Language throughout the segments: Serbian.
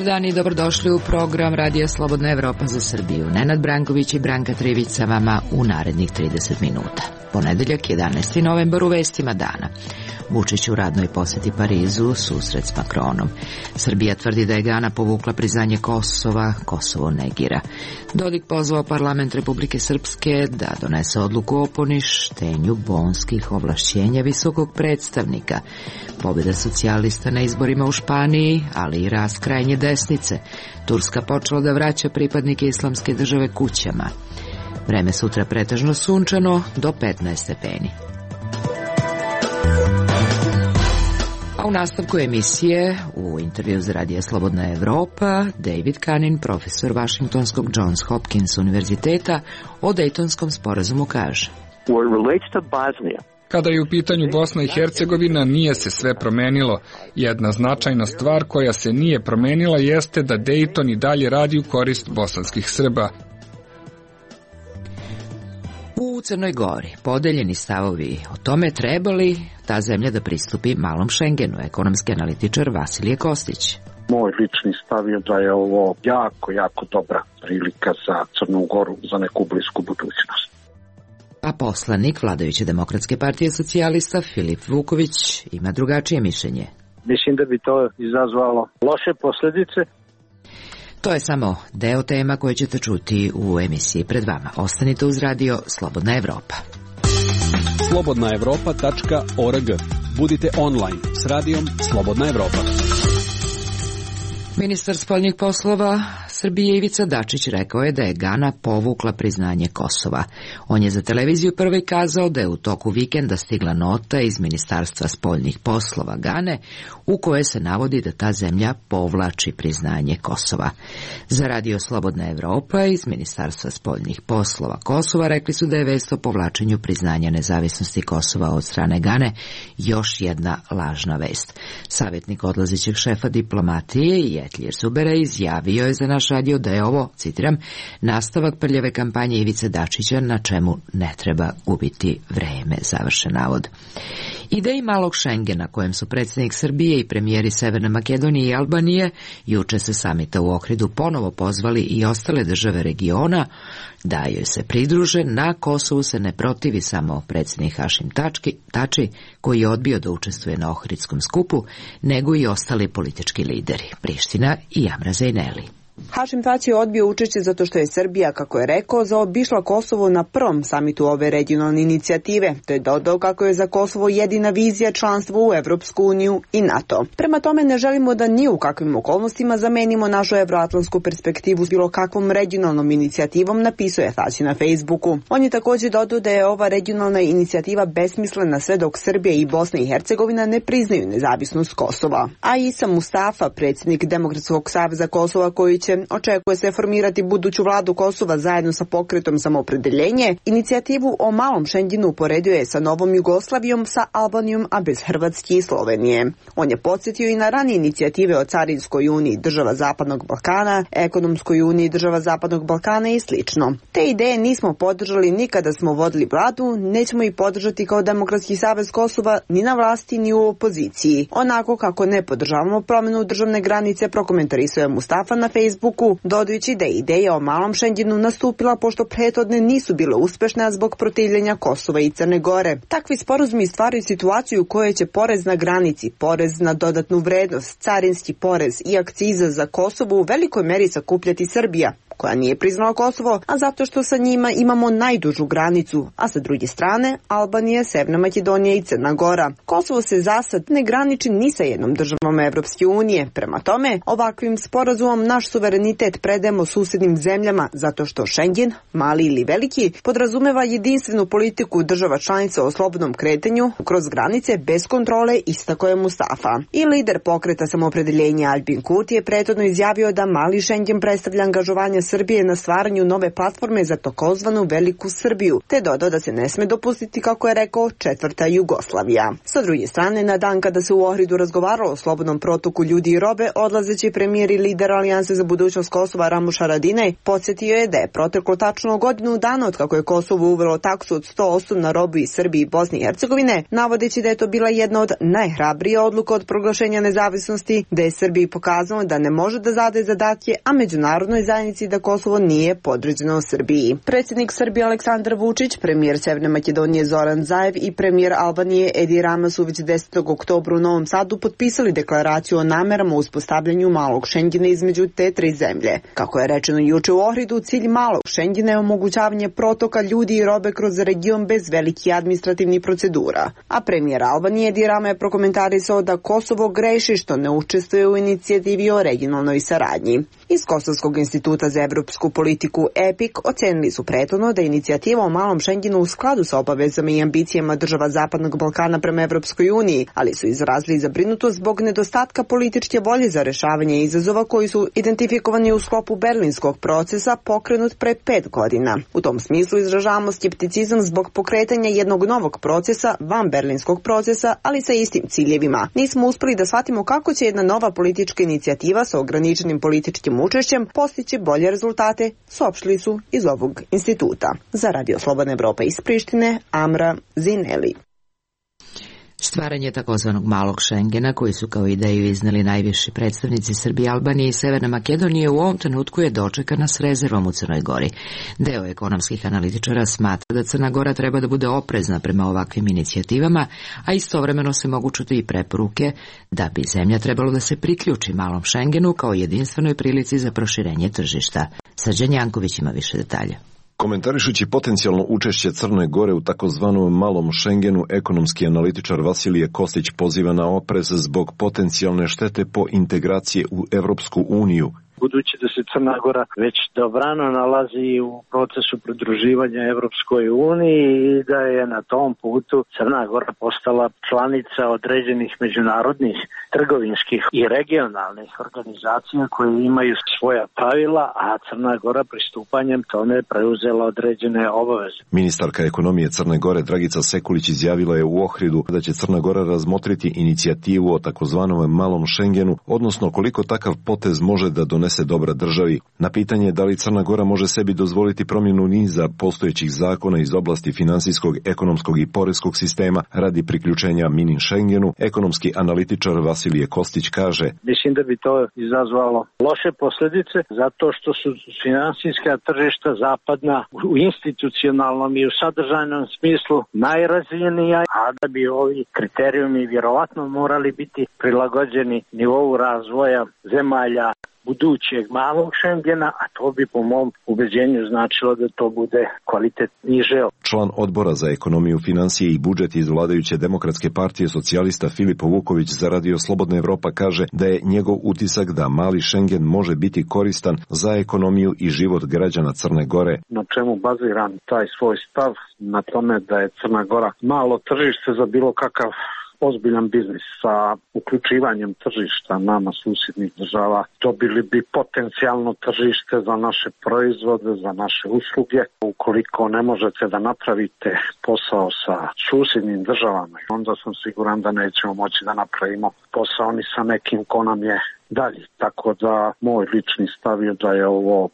dan i dobrodošli u program Radija Slobodna Evropa za Srbiju. Nenad Branković i Branka Trivić sa vama u narednih 30 minuta. Ponedeljak, 11. novembar, u vestima dana. Vučić u radnoj poseti Parizu, susret s Makronom. Srbija tvrdi da je Gana povukla priznanje Kosova, Kosovo negira. Dodik pozvao parlament Republike Srpske da donese odluku o poništenju bonskih ovlašćenja visokog predstavnika. Pobjeda socijalista na izborima u Španiji, ali i rast krajnje desnice. Turska počela da vraća pripadnike Islamske države kućama. Vreme sutra pretežno sunčano do 15 stepeni. A u nastavku emisije, u intervju za Radija Slobodna Evropa, David Kanin, profesor Washingtonskog Johns Hopkins univerziteta, o Dejtonskom sporazumu kaže: Kada je u pitanju Bosna i Hercegovina, nije se sve promenilo. Jedna značajna stvar koja se nije promenila jeste da Dejton i dalje radi u korist bosanskih Srba. U Crnoj Gori podeljeni stavovi o tome treba li ta zemlja da pristupi malom Šengenu, ekonomski analitičar Vasilije Kostić. Moj lični stav je da je ovo jako dobra prilika za Crnu Goru za neku blisku budućnost. A poslanik vladajuće Demokratske partije socijalista Filip Vuković ima drugačije mišljenje. Mislim da bi to izazvalo loše posljedice. To je samo deo tema koje ćete čuti u emisiji pred vama. Ostanite uz Radio Slobodna Evropa. slobodnaevropa.org. Budite online s Radijom Slobodna Evropa. Ministar spoljnih poslova Srbije Ivica Dačić rekao je da je Gana povukla priznanje Kosova. On je za televiziju prvi kazao da je u toku vikenda stigla nota iz Ministarstva spoljnih poslova Gane u kojoj se navodi da ta zemlja povlači priznanje Kosova. Za Radio Slobodna Evropa iz Ministarstva spoljnih poslova Kosova rekli su da je vest o povlačenju priznanja nezavisnosti Kosova od strane Gane još jedna lažna vest. Savjetnik odlazećeg šefa diplomatije Jetljir Zubera izjavio je za naš radio da je ovo, citiram, nastavak prljave kampanje Ivice Dačića na čemu ne treba gubiti vreme, završen navod. Ideji malog Šengena kojem su predsjednik Srbije i premijeri Severne Makedonije i Albanije juče se samita u Ohridu ponovo pozvali i ostale države regiona da joj se pridruže. Na Kosovu se ne protivi samo predsjednik Hašim Tači koji je odbio da učestvuje na Ohridskom skupu, nego i ostali politički lideri, Priština i Amra Zejneli. Hašim Tači je odbio učešće zato što je Srbija, kako je rekao, zaobišla Kosovo na prvom samitu ove regionalne inicijative. To je dodao kako je za Kosovo jedina vizija članstvo u Evropsku uniju i NATO. Prema tome ne želimo da ni u kakvim okolnostima zamenimo našu evroatlantsku perspektivu s bilo kakvom regionalnom inicijativom, napisao je Tači na Facebooku. On je također dodao da je ova regionalna inicijativa besmislena sve dok Srbija i Bosna i Hercegovina ne priznaju nezavisnost Kosova. A Isa Mustafa, predsjednik Demokratskog saveza Kosova koji očekuje se formirati buduću vladu Kosova zajedno sa pokretom Samoopredeljenje, inicijativu o malom Šengenu uporedio je sa Novom Jugoslavijom, sa Albanijom, a bez Hrvatske i Slovenije. On je podsjetio i na ranije inicijative o Carinskoj uniji država Zapadnog Balkana, Ekonomskoj uniji država Zapadnog Balkana i slično. Te ideje nismo podržali ni kada smo vodili vladu, nećemo ih podržati kao Demokratski savez Kosova ni na vlasti ni u opoziciji. Onako kako ne podržavamo promjenu državne granice, prokomentarisao je Mustafa na Facebooku, dodajući da je ideja o malom Šengenu nastupila pošto prethodne nisu bile uspešne, a zbog protivljenja Kosova i Crne Gore. Takvi sporazumi stvaraju situaciju u kojoj će porez na granici, porez na dodatnu vrednost, carinski porez i akciza za Kosovo u velikoj meri sakupljati Srbija, koja nije priznala Kosovo, a zato što sa njima imamo najdužu granicu, a sa druge strane Albanija, Severna Makedonija i Crna Gora. Kosovo se zasad ne graniči ni sa jednom državom Evropske unije. Prema tome, ovakvim sporazumom naš suverenitet predajemo susjednim zemljama zato što Šengen, mali ili veliki, podrazumeva jedinstvenu politiku država članica o slobodnom kretanju kroz granice bez kontrole, istakao je Mustafa. I lider pokreta Samoopredeljenja Albin Kurti je prethodno izjavio da mali Šengen predstavlja angažovanje Srbije na stvaranju nove platforme za takozvanu Veliku Srbiju, te dodao da se ne sme dopustiti, kako je rekao, četvrta Jugoslavija. Sa druge strane, na dan kada se u Ohridu razgovaralo o slobodnom protoku ljudi i robe, odlazeći premijer i lider Alijanse za budućnost Kosova Ramuš Haradinaj podsjetio je da je proteklo tačno godinu dana od kako je Kosovo uvelo taksu od 100% na robu iz Srbije i Bosne i Hercegovine, navodeći da je to bila jedna od najhrabrije odluka od proglašenja nezavisnosti, da je Srbiji pokazano da ne može da zadaje zadatke, a međunarodnoj zajednici da Kosovo nije podređeno Srbiji. Predsjednik Srbije Aleksandar Vučić, premijer Severne Makedonije Zoran Zaev i premijer Albanije Edi Rama su već 10. oktobra u Novom Sadu potpisali deklaraciju o namerama u uspostavljanju malog Šengena između te tri zemlje. Kako je rečeno juče u Ohridu, cilj malog Šengena je omogućavanje protoka ljudi i robe kroz region bez velikih administrativnih procedura. A premijer Albanije Edi Rama je prokomentarisao da Kosovo greši što ne učestvuje u inicijativi o regionalnoj saradnji. Iz Kosovskog instituta za evropsku politiku EPIC ocenili su prethodno da je inicijativa o malom Šengenu u skladu sa obavezama i ambicijama država Zapadnog Balkana prema Evropskoj uniji, ali su izrazili zabrinutost zbog nedostatka političke volje za rešavanje izazova koji su identifikovani u sklopu berlinskog procesa pokrenut pre 5 godina. U tom smislu izražavamo skepticizam zbog pokretanja jednog novog procesa van berlinskog procesa, ali sa istim ciljevima. Nismo uspeli da shvatimo kako će jedna nova politička inicijativa sa ograničenim političkim učešćem postići bolje rezultate, saopštili su iz ovog instituta. Za Radio Slobodna Evropa iz Prištine, Amra Zineli. Stvaranje takozvanog malog Šengena, koji su kao ideju izneli najviši predstavnici Srbije, Albanije i Severne Makedonije, u ovom trenutku je dočekana s rezervom u Crnoj Gori. Deo ekonomskih analitičara smatra da Crna Gora treba da bude oprezna prema ovakvim inicijativama, a istovremeno se mogu čuti i preporuke da bi zemlja trebalo da se priključi malom Šengenu kao jedinstvenoj prilici za proširenje tržišta. Srđan Janković ima više detalja. Komentarišući potencijalno učešće Crne Gore u takozvanom malom Šengenu, ekonomski analitičar Vasilije Kostić poziva na oprez zbog potencijalne štete po integracije u Evropsku uniju. Budući da se Crna Gora već dobrano nalazi u procesu pridruživanja Evropskoj uniji i da je na tom putu Crna Gora postala članica određenih međunarodnih trgovinskih i regionalnih organizacija koje imaju svoja pravila, a Crna Gora pristupanjem tome preuzela određene obaveze. Ministarka ekonomije Crne Gore Dragica Sekulić izjavila je u Ohridu da će Crna Gora razmotriti inicijativu o takozvanom malom Šengenu, odnosno koliko takav potez može da donese dobra državi. Na pitanje da li Crna Gora može sebi dozvoliti promjenu niza postojećih zakona iz oblasti finansijskog, ekonomskog i poreskog sistema radi priključenja mini Šengenu, ekonomski analitičar Vasilije Kostić kaže: Mislim da bi to izazvalo loše posljedice zato što su finansijska tržišta zapadna u institucionalnom i u sadržajnom smislu najrazvijenija, a da bi ovi kriterijumi vjerovatno morali biti prilagođeni nivou razvoja zemalja budućeg malog Šengena, a to bi po mom ubeđenju značilo da to bude kvalitet niže. Član odbora za ekonomiju, financije i budžet iz vladajuće Demokratske partije socijalista Filip Vuković za Radio Slobodna Evropa kaže da je njegov utisak da mali Šengen može biti koristan za ekonomiju i život građana Crne Gore. Na čemu baziram taj svoj stav? Na tome da je Crna Gora malo tržište za bilo kakav ozbiljan biznis. Sa uključivanjem tržišta nama susjednih država dobili bi potencijalno tržište za naše proizvode, za naše usluge. Ukoliko ne možete da napravite posao sa susjednim državama, onda sam siguran da nećemo moći da napravimo posao ni sa nekim ko nam je dalje. Tako da moj lični stav je da je ovo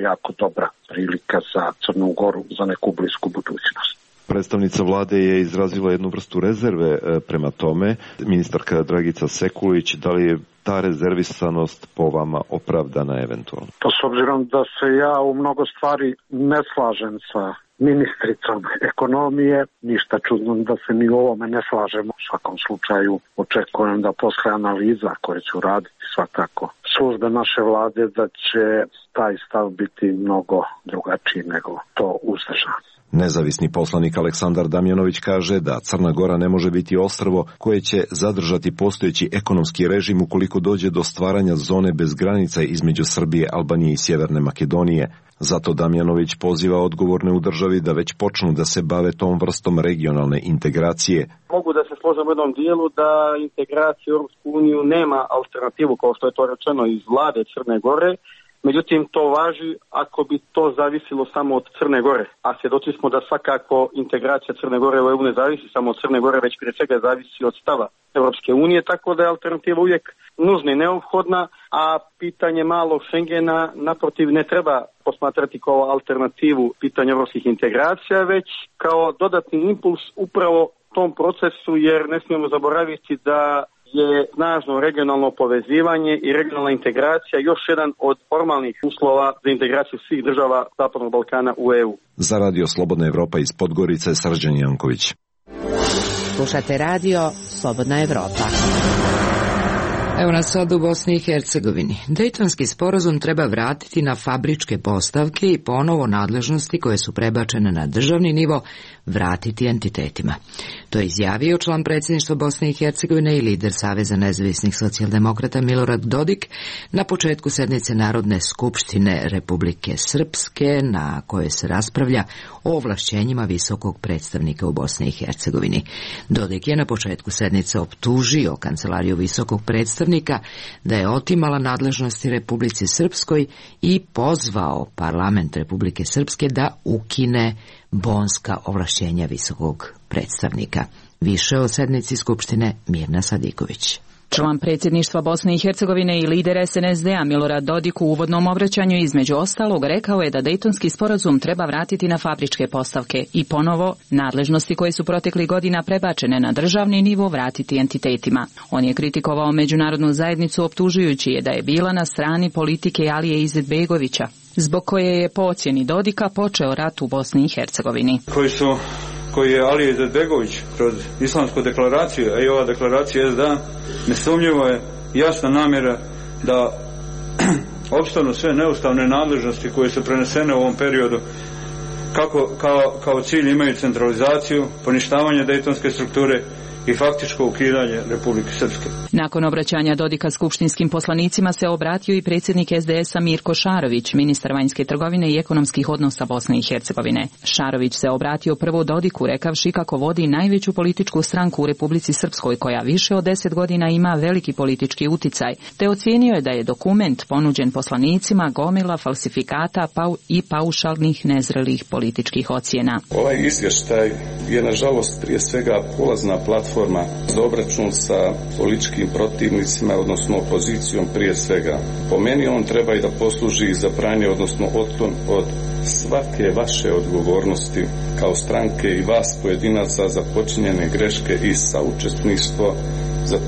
jako dobra prilika za Crnu Goru za neku blisku budućnost. Predstavnica vlade je izrazila jednu vrstu rezerve prema tome. Ministarka Dragica Sekulić, da li je ta rezervisanost po vama opravdana eventualno? Pa s obzirom da se ja u mnogo stvari ne slažem sa ministricom ekonomije, ništa čudno da se mi u ovome ne slažemo. U svakom slučaju očekujem da posle analiza koje ću raditi svakako službe naše vlade, da će taj stav biti mnogo drugačiji nego to uzdržano. Nezavisni poslanik Aleksandar Damjanović kaže da Crna Gora ne može biti ostrvo koje će zadržati postojeći ekonomski režim ukoliko dođe do stvaranja zone bez granica između Srbije, Albanije i Sjeverne Makedonije. Zato Damjanović poziva odgovorne u državi da već počnu da se bave tom vrstom regionalne integracije. Mogu da se složim u jednom dijelu da integracija u Europsku uniju nema alternativu, kao što je to rečeno iz vlade Crne Gore, Međutim, to važi ako bi to zavisilo samo od Crne Gore. A svjedoci smo da svakako integracija Crne Gore u EU ne zavisi samo od Crne Gore, već prije svega zavisi od stava Europske unije, tako da je alternativa uvijek nužna i neophodna, a pitanje malog Schengena naprotiv ne treba posmatrati kao alternativu pitanja europskih integracija, već kao dodatni impuls upravo tom procesu, jer ne smijemo zaboraviti da je snažno regionalno povezivanje i regionalna integracija još jedan od formalnih uslova za integraciju svih država Zapadnog Balkana u EU. Za Radio Slobodna Evropa iz Podgorice, Srđan Janković. Slušate radio Slobodna Evropa. Evo nas sad u Bosni i Hercegovini. Dejtonski sporazum treba vratiti na fabričke postavke i ponovo nadležnosti koje su prebačene na državni nivo vratiti entitetima. To je izjavio član predsjedništva Bosne i Hercegovine i lider Saveza nezavisnih socijaldemokrata Milorad Dodik na početku sednice Narodne skupštine Republike Srpske, na kojoj se raspravlja o ovlašćenjima visokog predstavnika u Bosni i Hercegovini. Dodik je na početku sednice optužio kancelariju visokog predstavnika da je otimala nadležnosti Republici Srpskoj i pozvao parlament Republike Srpske da ukine bonska ovlašćenja visokog predstavnika. Više o sednici Skupštine Mirna Sadiković. Član predsjedništva Bosne i Hercegovine i lider SNSD-a Milorad Dodik u uvodnom obraćanju između ostalog rekao je da Dejtonski sporazum treba vratiti na fabričke postavke i ponovo nadležnosti koje su proteklih godina prebačene na državni nivo vratiti entitetima. On je kritikovao međunarodnu zajednicu optužujući je da je bila na strani politike Alije Izetbegovića, zbog koje je po ocjeni Dodika počeo rat u Bosni i Hercegovini. Koji je Alija Izetbegović kroz islamsku deklaraciju, a i ova deklaracija SDA, nesumnjivo je jasna namjera da opstanu sve neustavne nadležnosti koje su prenesene u ovom periodu, kao cilj imaju centralizaciju, poništavanje dejtonske strukture i faktičko ukidanje Republike Srpske. Nakon obraćanja Dodika skupštinskim poslanicima se obratio i predsjednik SDS-a Mirko Šarović, ministar vanjske trgovine i ekonomskih odnosa Bosne i Hercegovine. Šarović se obratio prvo Dodiku rekavši kako vodi najveću političku stranku u Republici Srpskoj koja više od 10 godina ima veliki politički uticaj, te ocijenio je da je dokument ponuđen poslanicima gomila falsifikata i paušalnih nezrelih političkih ocjena. Ovaj izvještaj je nažalost prije svega polazna platforma za obračun sa političkim protivnicima, odnosno opozicijom prije svega. Po meni on treba i da posluži za branje, odnosno otklon od svake vaše odgovornosti kao stranke i vas pojedinaca za počinjene greške i saučesništvo za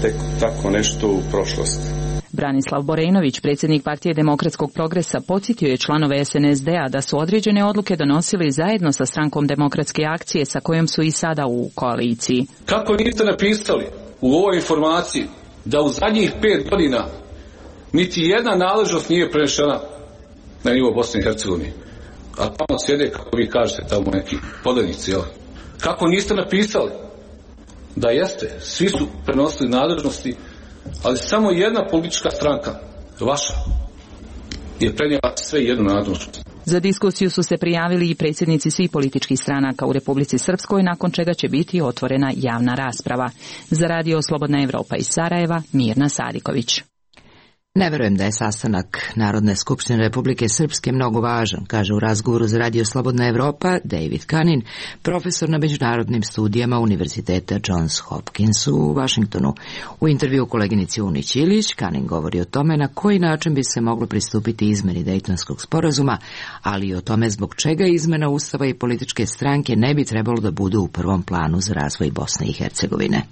tako nešto u prošlosti. Branislav Borejnović, predsjednik Partije demokratskog progresa, podsjetio je članove SNSD-a da su određene odluke donosili zajedno sa strankom Demokratske akcije sa kojom su i sada u koaliciji. Kako niste napisali u ovoj informaciji da u zadnjih 5 godina niti jedna nadležnost nije prenešena na nivo Bosne i Hercegovine? A tamo sjede, kako vi kažete, tamo neki podanici, jel? Kako niste napisali da jeste, svi su prenosili nadležnosti, ali samo jedna politička stranka, vaša, je prenijela sve jednu nadležnost. Za diskusiju su se prijavili i predsjednici svih političkih stranaka u Republici Srpskoj, nakon čega će biti otvorena javna rasprava. Za Radio Slobodna Evropa iz Sarajeva, Mirna Sadiković. Ne verujem da je sastanak Narodne skupštine Republike Srpske mnogo važan, kaže u razgovoru za Radio Slobodna Evropa David Kanin, profesor na međunarodnim studijama Univerziteta Johns Hopkins u Vašingtonu. U intervju koleginici Unić Ilić, Kanin govori o tome na koji način bi se moglo pristupiti izmeni Dejtonskog sporazuma, ali i o tome zbog čega izmena Ustava i političke stranke ne bi trebalo da budu u prvom planu za razvoj Bosne i Hercegovine.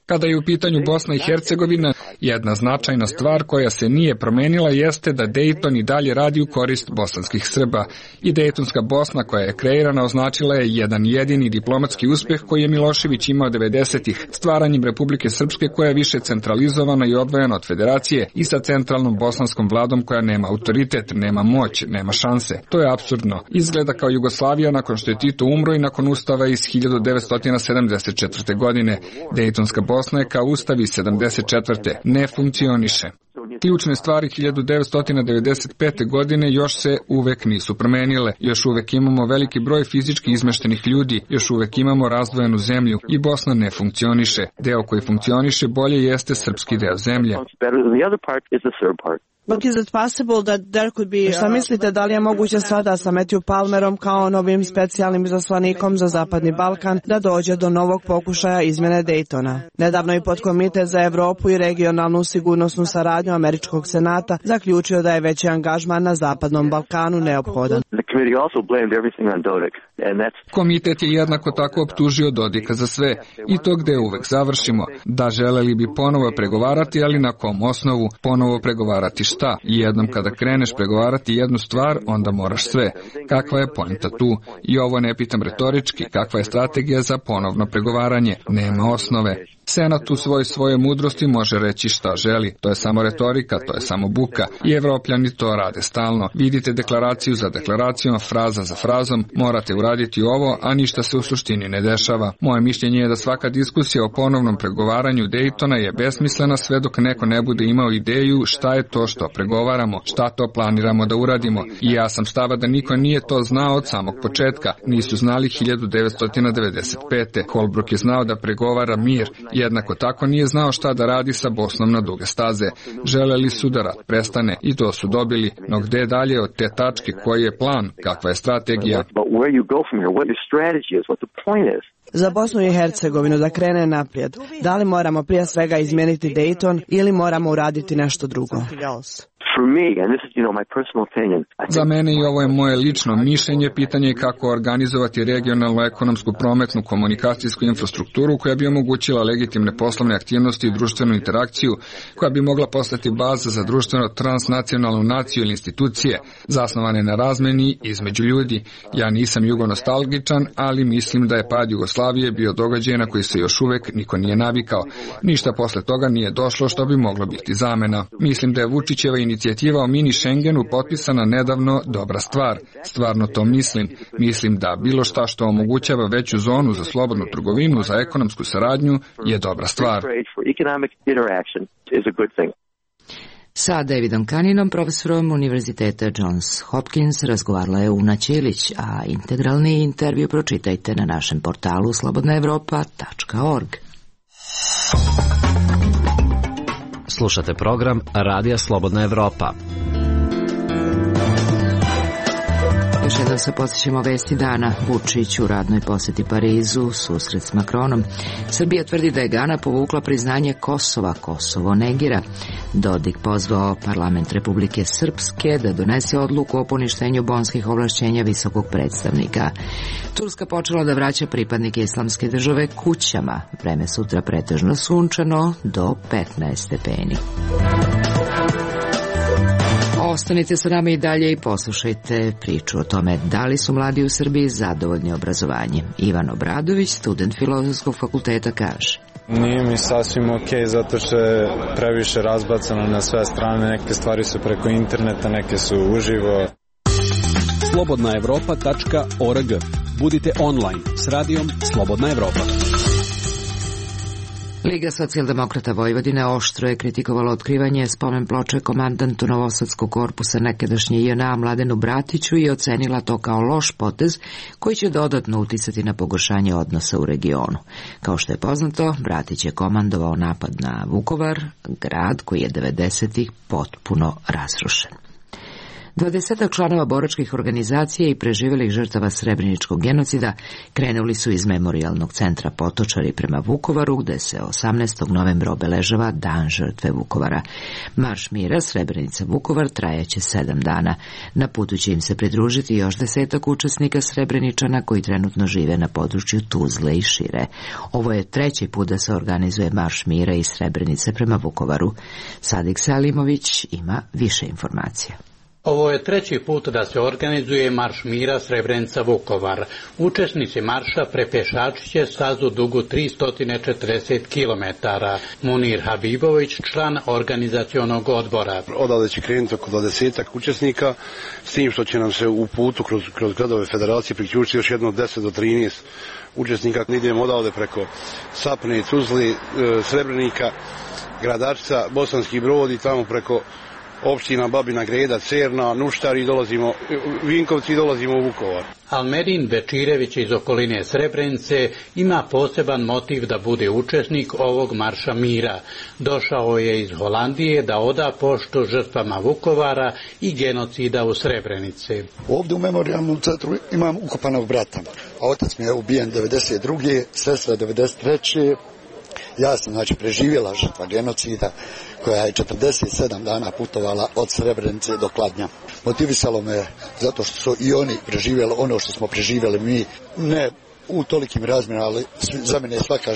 Kada je u pitanju Bosna i Hercegovina, jedna značajna stvar koja se nije promenila jeste da Dejton i dalje radi u korist bosanskih Srba. I Dejtonska Bosna koja je kreirana označila je jedan jedini diplomatski uspjeh koji je Milošević imao 90-ih, stvaranjem Republike Srpske koja je više centralizovana i odvojena od federacije i sa centralnom bosanskom vladom koja nema autoritet, nema moć, nema šanse. To je apsurdno. Izgleda kao Jugoslavija nakon što je Tito umro i nakon ustava iz 1974. godine. Dejtonska Bosna je kao ustav iz 74. ne funkcioniše. Ključne stvari 1995. godine još se uvek nisu promenile. Još uvek imamo veliki broj fizički izmeštenih ljudi, još uvek imamo razdvojenu zemlju i Bosna ne funkcioniše. Deo koji funkcioniše bolje jeste srpski deo zemlje. Šta mislite, da li je moguće sada sa Matthew Palmerom kao novim specijalnim izaslanikom za Zapadni Balkan da dođe do novog pokušaja izmjene Daytona? Nedavno je Podkomitet za Evropu i regionalnu sigurnosnu saradnju Američkog senata zaključio da je veći angažman na Zapadnom Balkanu neophodan. Komitet je jednako tako optužio Dodika za sve i to gde uvek završimo. Da, želeli bi ponovo pregovarati, ali na kom osnovu? Ponovo pregovarati šta? I jednom kada kreneš pregovarati jednu stvar, onda moraš sve. Kakva je poenta tu? I ovo ne pitam retorički, kakva je strategija za ponovno pregovaranje? Nema osnove. Senat u svoje mudrosti može reći šta želi. To je samo retorika, to je samo buka. I Evropljani to rade stalno. Vidite deklaraciju za deklaracijom, fraza za frazom, morate uraditi ovo, a ništa se u suštini ne dešava. Moje mišljenje je da svaka diskusija o ponovnom pregovaranju Daytona je besmislena sve dok neko ne bude imao ideju šta je to što pregovaramo, šta to planiramo da uradimo. I ja sam stava da niko nije to znao od samog početka. Nisu znali 1995. Holbrooke je znao da pregovara mir. Jednako tako nije znao šta da radi sa Bosnom na duge staze. Želeli su da rat prestane i to su dobili, no gde dalje od te tačke, koji je plan, kakva je strategija? Za Bosnu i Hercegovinu da krene naprijed, da li moramo prije svega izmijeniti Dayton ili moramo uraditi nešto drugo? Za mene i ovo je moje lično mišljenje, pitanje je kako organizovati regionalnu ekonomsku, prometnu, komunikacijsku infrastrukturu koja bi omogućila legitimne poslovne aktivnosti i društvenu interakciju, koja bi mogla postati baza za društveno transnacionalnu naciju ili institucije, zasnovane na razmeni između ljudi. Ja nisam jugonostalgičan, ali mislim da je pad Jugoslavije bio događaj na koji se još uvek niko nije navikao. Ništa posle toga nije došlo što bi moglo biti zamena. Mislim da je Vučićeva inicijativa o mini Schengenu potpisana nedavno dobra stvar. Stvarno to mislim. Mislim da bilo šta što omogućava veću zonu za slobodnu trgovinu, za ekonomsku saradnju je dobra stvar. Sa Davidom Kaninom, profesorom Univerziteta Johns Hopkins, razgovarala je Una Ćilić, a integralni intervju pročitajte na našem portalu slobodnaevropa.org. Slušate program Radija Slobodna Evropa. Još jednom se podsjećamo vesti dana. Vučić u radnoj posjeti Parizu, susret s Macronom. Srbija tvrdi da je Gana povukla priznanje Kosova, Kosovo negira. Dodik pozvao parlament Republike Srpske da donese odluku o poništenju bonskih ovlašćenja visokog predstavnika. Turska počela da vraća pripadnike Islamske države kućama. Vreme sutra pretežno sunčano do 15 stepeni. Ostanite sa nama i dalje i poslušajte priču o tome da li su mladi u Srbiji zadovoljni obrazovanjem. Ivan Obradović, student Filozofskog fakulteta, kaže: Nije mi sasvim okej, zato što je previše razbacano na sve strane. Neke stvari su preko interneta, neke su uživo. Slobodnaevropa.org. Budite online s radijom Slobodna Evropa. Liga socijaldemokrata Vojvodine oštro je kritikovala otkrivanje spomen ploče komandantu Novosadskog korpusa nekadašnje JNA Mladenu Bratiću i ocenila to kao loš potez koji će dodatno uticati na pogoršanje odnosa u regionu. Kao što je poznato, Bratić je komandovao napad na Vukovar, grad koji je 90-ih potpuno razrušen. 20 članova boračkih organizacija i preživjelih žrtava Srebreničkog genocida krenuli su iz memorijalnog centra Potočari prema Vukovaru, gde se 18. novembra obeležava Dan žrtve Vukovara. Marš mira Srebrenica-Vukovar trajaće 7 dana. Na putu će im se pridružiti još 10 učesnika Srebreničana koji trenutno žive na području Tuzle i šire. Ovo je 3. put da se organizuje Marš mira iz Srebrenice prema Vukovaru. Sadik Salimović ima više informacija. Ovo je 3. put da se organizuje Marš mira Srebrenica-Vukovar. Učesnici marša prepešači će stazu dugu 340 km. Munir Habibović, član organizacionog odbora. Odavde će krenuti oko 20 učesnika, s tim što će nam se u putu kroz gradove federacije priključiti još jedno 10 do 13 učesnika. Idemo odavde preko Sapne, Tuzli, Srebrenika Gradačca, Bosanski Brod i tamo preko opština Babina Greda, Cerna, Nuštar i dolazimo, Vinkovci i dolazimo u Vukovar. Almedin Bečirević iz okoline Srebrenice ima poseban motiv da bude učesnik ovog marša mira. Došao je iz Holandije da oda poštu žrtvama Vukovara i genocida u Srebrenici. Ovdje u memorijalnom centru imam ukopanog brata. Otac mi je ubijen 92. sestra 93. Ja sam preživjela žrtva genocida koja je 47 dana putovala od Srebrenice do Kladnja. Motivisalo me zato što su i oni preživjeli ono što smo preživjeli mi, ne u tolikim razmjerima, ali za mene je svaka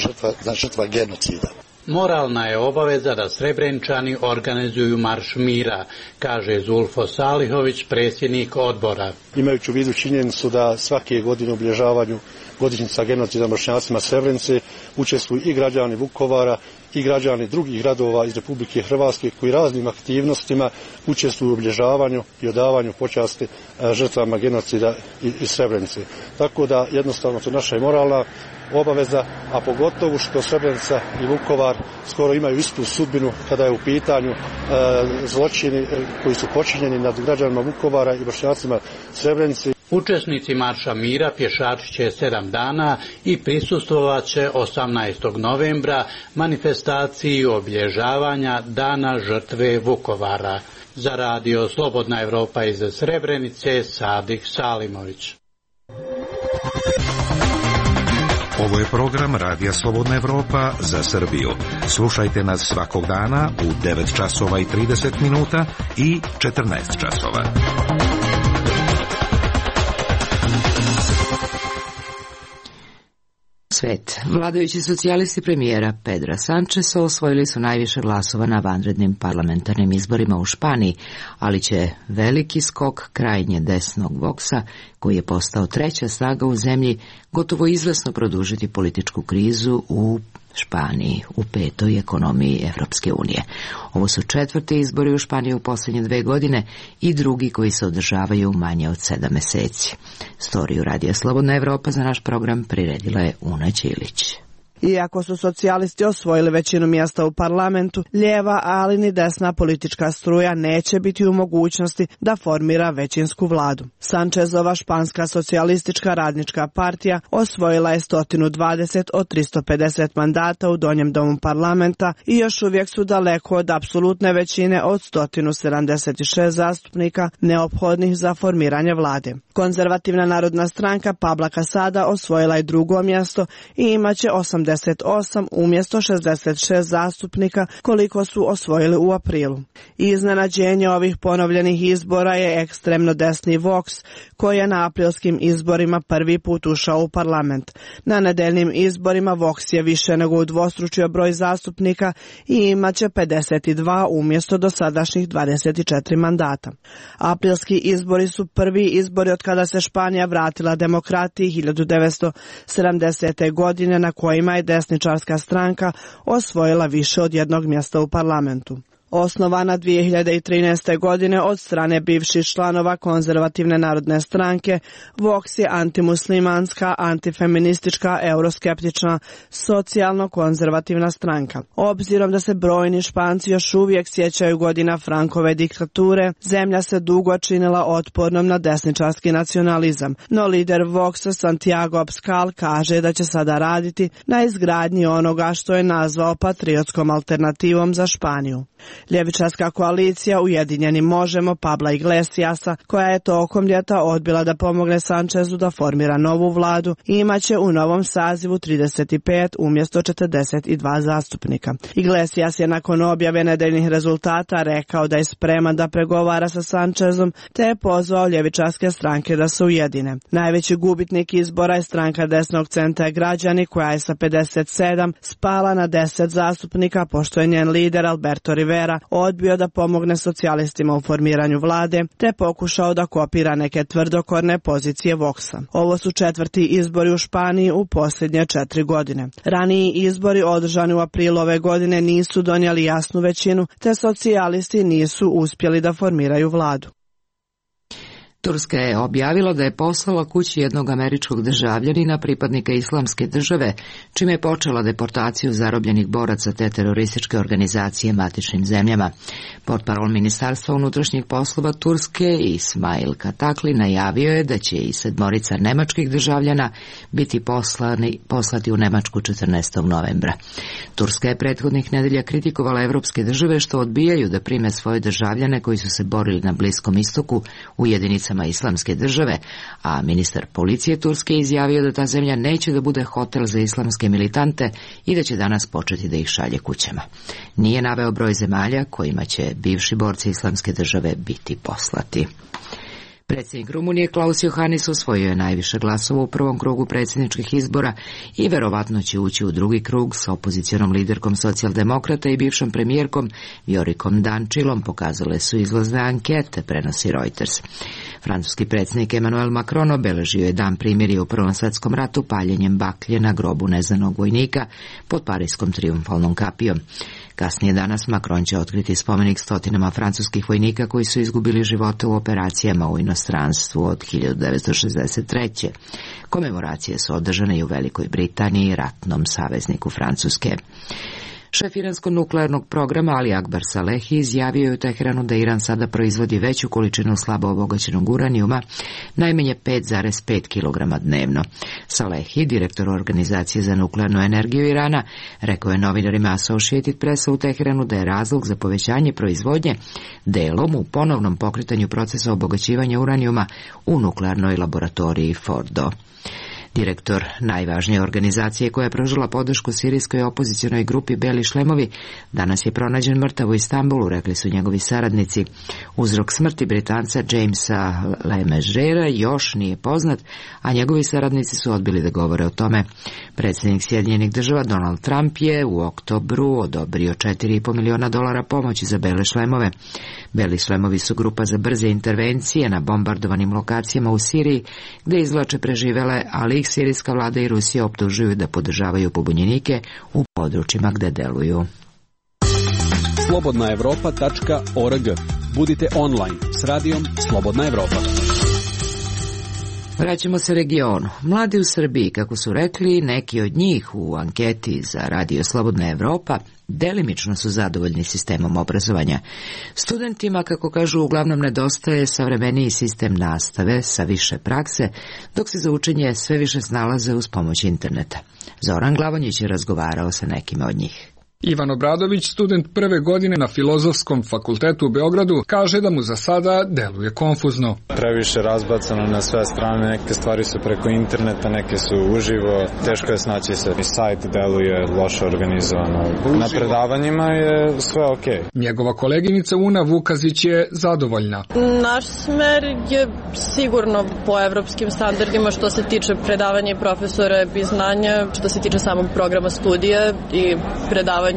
žrtva genocida. Moralna je obaveza da Srebreničani organizuju marš mira, kaže Zulfo Salihović, predsjednik odbora. Imajući u vidu činjenicu da svake godine u obilježavanju godišnjica genocida Bošnjacima Srebrenice učestvuju i građani Vukovara i građani drugih gradova iz Republike Hrvatske koji raznim aktivnostima učestvuju u obilježavanju i odavanju počasti žrtvama genocida iz Srebrenice. Tako da jednostavno to naša je moralna obaveza, a pogotovo što Srebrenica i Vukovar skoro imaju istu sudbinu kada je u pitanju zločini koji su počinjeni nad građanima Vukovara i Bošnjacima Srebrenice. Učesnici marša mira pješačit će 7 dana i prisustvovat će 18. novembra manifestaciji obilježavanja Dana žrtve Vukovara. Za radio Slobodna Evropa iz Srebrenice, Sadik Salimović. Ovo je program Radija Slobodna Evropa za Srbiju. Slušajte nas svakog dana u 9 časova i 30 minuta i 14 časova. Svet. Vladajući socijalisti premijera Pedra Sančesa osvojili su najviše glasova na vanrednim parlamentarnim izborima u Španiji, ali će veliki skok krajnje desnog Voxa, koji je postao treća snaga u zemlji, gotovo izvesno produžiti političku krizu u Španiji, u petoj ekonomiji Evropske unije. Ovo su 4. izbori u Španiji u posljednje 2 godine i drugi koji se održavaju manje od 7 meseci. Storiju Radija Slobodna Evropa za naš program priredila je Una Ćilić. Iako su socijalisti osvojili većinu mjesta u parlamentu, lijeva, ali ni desna politička struja neće biti u mogućnosti da formira većinsku vladu. Sančezova španska socijalistička radnička partija osvojila je 120 od 350 mandata u donjem domu parlamenta i još uvijek su daleko od apsolutne većine od 176 zastupnika neophodnih za formiranje vlade. Konzervativna narodna stranka Pabla Casada osvojila je 2. mjesto i imaće 88 umjesto 66 zastupnika koliko su osvojili u aprilu. Iznenađenje ovih ponovljenih izbora je ekstremno desni Vox, koji je na aprilskim izborima prvi put ušao u parlament. Na nedeljnim izborima Vox je više nego udvostručio broj zastupnika i imaće 52 umjesto dosadašnjih 24 mandata. Aprilski izbori su prvi izbori od kada se Španija vratila demokratiji 1970. godine, na kojima je desničarska stranka osvojila više od 1 mjesta u parlamentu. Osnovana 2013. godine od strane bivših članova konzervativne narodne stranke, Vox je antimuslimanska, antifeministička, euroskeptična, socijalno-konzervativna stranka. Obzirom da se brojni Španci još uvijek sjećaju godina Frankove diktature, zemlja se dugo činila otpornom na desničarski nacionalizam, no lider Voxa Santiago Abascal kaže da će sada raditi na izgradnji onoga što je nazvao patriotskom alternativom za Španiju. Ljevičarska koalicija Ujedinjeni možemo Pabla Iglesiasa, koja je tokom ljeta odbila da pomogne Sančezu da formira novu vladu, imaće u novom sazivu 35 umjesto 42 zastupnika. Iglesias je nakon objave nedeljnih rezultata rekao da je spreman da pregovara sa Sančezom, te je pozvao ljevičarske stranke da se ujedine. Najveći gubitnik izbora je stranka desnog centra Građani, koja je sa 57 spala na 10 zastupnika, pošto je njen lider Alberto Rivera odbio da pomogne socijalistima u formiranju vlade, te pokušao da kopira neke tvrdokorne pozicije Voxa. Ovo su 4. izbori u Španiji u posljednje 4 godine. Raniji izbori održani u aprilu ove godine nisu donijeli jasnu većinu, te socijalisti nisu uspjeli da formiraju vladu. Turska je objavila da je poslala kući jednog američkog državljanina, pripadnika Islamske države, čime je počela deportaciju zarobljenih boraca te terorističke organizacije matičnim zemljama. Portparol Ministarstva unutrašnjih poslova Turske Ismail Katakli najavio je da će i 7 nemačkih državljana biti poslati u Nemačku 14. novembra. Turska je prethodnih nedelja kritikovala evropske države što odbijaju da prime svoje državljane koji su se borili na Bliskom istoku u jedinicama Islamske države, a ministar policije Turske izjavio da ta zemlja neće da bude hotel za islamske militante i da će danas početi da ih šalje kućama. Nije naveo broj zemalja kojima će bivši borci Islamske države biti poslati. Predsjednik Rumunije Klaus Iohannis osvojio je najviše glasova u prvom krugu predsjedničkih izbora i verovatno će ući u drugi krug sa opozicionom liderkom socijaldemokrata i bivšom premijerkom Viorikom Dančilom, pokazale su izlazne ankete, prenosi Reuters. Francuski predsjednik Emmanuel Macron obeležio je dan primirja u Prvom svjetskom ratu paljenjem baklje na grobu neznanog vojnika pod parijskom trijumfalnom kapijom. Kasnije danas Macron će otkriti spomenik stotinama francuskih vojnika koji su izgubili živote u operacijama u inostranstvu od 1963. Komemoracije su održane i u Velikoj Britaniji, ratnom savezniku Francuske. Šef iranskog nuklearnog programa Ali Akbar Salehi izjavio je u Teheranu da Iran sada proizvodi veću količinu slabo obogaćenog uranijuma, najmanje 5,5 kg dnevno. Salehi, direktor Organizacije za nuklearnu energiju Irana, rekao je novinarima Associated Pressa u Teheranu da je razlog za povećanje proizvodnje delom u ponovnom pokretanju procesa obogaćivanja uranijuma u nuklearnoj laboratoriji Fordo. Direktor najvažnije organizacije koja je pružila podršku sirijskoj opozicionoj grupi Beli šlemovi danas je pronađen mrtav u Istanbulu, rekli su njegovi saradnici. Uzrok smrti Britanca Jamesa Lemegera još nije poznat, a njegovi saradnici su odbili da govore o tome. Predsjednik Sjedinjenih država Donald Trump je u oktobru odobrio $4,5 miliona pomoći za Bele šlemove. Beli šlemovi su grupa za brze intervencije na bombardovanim lokacijama u Siriji, gde izvlače preživele, ali ih sirijska vlada i Rusija optužuju da podržavaju pobunjenike u područjima gde deluju. slobodnaevropa.org. Budite online s radijom Slobodna Evropa. Vraćamo se regionu. Mladi u Srbiji, kako su rekli neki od njih u anketi za radio Slobodna Evropa, delimično su zadovoljni sistemom obrazovanja. Studentima, kako kažu, uglavnom nedostaje savremeniji sistem nastave sa više prakse, dok se za učenje sve više snalaze uz pomoć interneta. Zoran Glavonjić je razgovarao sa nekima od njih. Ivan Obradović, student prve godine na Filozofskom fakultetu u Beogradu, kaže da mu za sada deluje konfuzno. Previše razbacano na sve strane, neke stvari su preko interneta, neke su uživo, teško je snaći se. I sajt deluje loše organizovano. Na predavanjima je sve okej. Njegova koleginica Una Vukazić je zadovoljna. Naš smer je sigurno po evropskim standardima što se tiče predavanja i profesora i znanja, što se tiče samog programa studija i predavanja,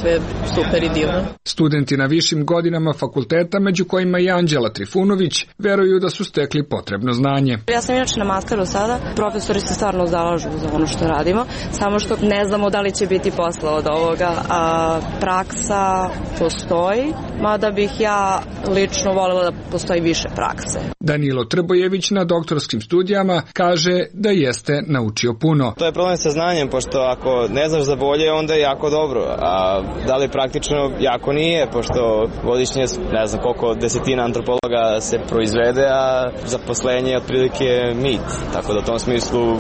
sve super i divno. Studenti na višim godinama fakulteta, među kojima i Anđela Trifunović, veruju da su stekli potrebno znanje. Ja sam inače na masteru sada, profesori se stvarno zalažu za ono što radimo, samo što ne znamo da li će biti posla od ovoga, a praksa postoji, mada bih ja lično voljela da postoji više prakse. Danilo Trbojević na doktorskim studijama kaže da jeste naučio puno. To je problem sa znanjem, pošto ako ne znaš za bolje, onda je jako dobro, a da li praktično jako nije, pošto godišnje ne znam koliko desetina antropologa se proizvede, a zaposlenje je otprilike mit, tako da u tom smislu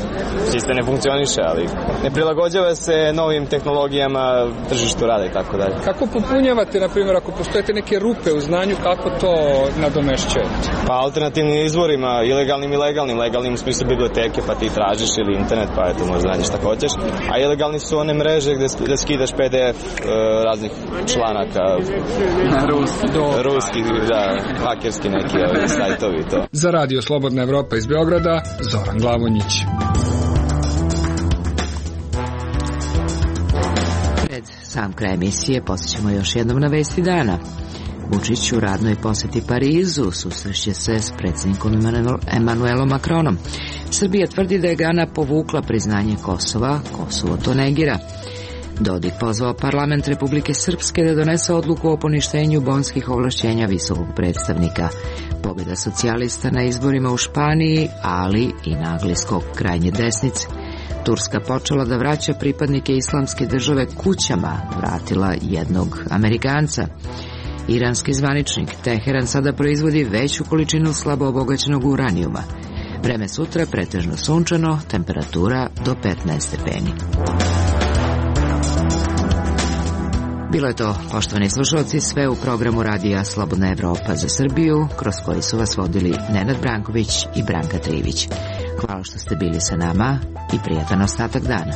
sistem ne funkcioniše, ali ne prilagođava se novim tehnologijama, tržištu rada i tako dalje. Kako popunjavate, na primjer, ako postojete neke rupe u znanju, kako to nadomešćujete? Pa alternativnim izvorima, ilegalnim i legalnim. Legalnim u smislu biblioteke, pa ti tražiš, ili internet, pa eto možda nađeš šta hoćeš. A ilegalni su one mreže gde skidaš PDF raznih članaka. Ruski, da, hakerski neki sajtovi to. Za radio Slobodna Evropa iz Beograda, Zoran Glavonjić. Pred sam kraj emisije posjećamo još jednom na vesti dana. Vučić u radnoj poseti Parizu susreće se s predsjednikom Emmanuelom Macronom. Srbija tvrdi da je Gana povukla priznanje Kosova, Kosovo to negira. Dodik pozvao parlament Republike Srpske da donese odluku o poništenju bonskih ovlašćenja visokog predstavnika. Pobjeda socijalista na izborima u Španiji, ali i nagli skok krajnje desnice. Turska počela da vraća pripadnike islamske države kućama, vratila jednog Amerikanca. Iranski zvaničnik Teheran sada proizvodi veću količinu slabo obogaćenog uranijuma. Vreme sutra pretežno sunčano, temperatura do 15 stepeni. Bilo je to, poštovani slušalci, sve u programu Radija Slobodna Evropa za Srbiju, kroz koji su vas vodili Nenad Branković i Branka Trivić. Hvala što ste bili sa nama i prijatan ostatak dana.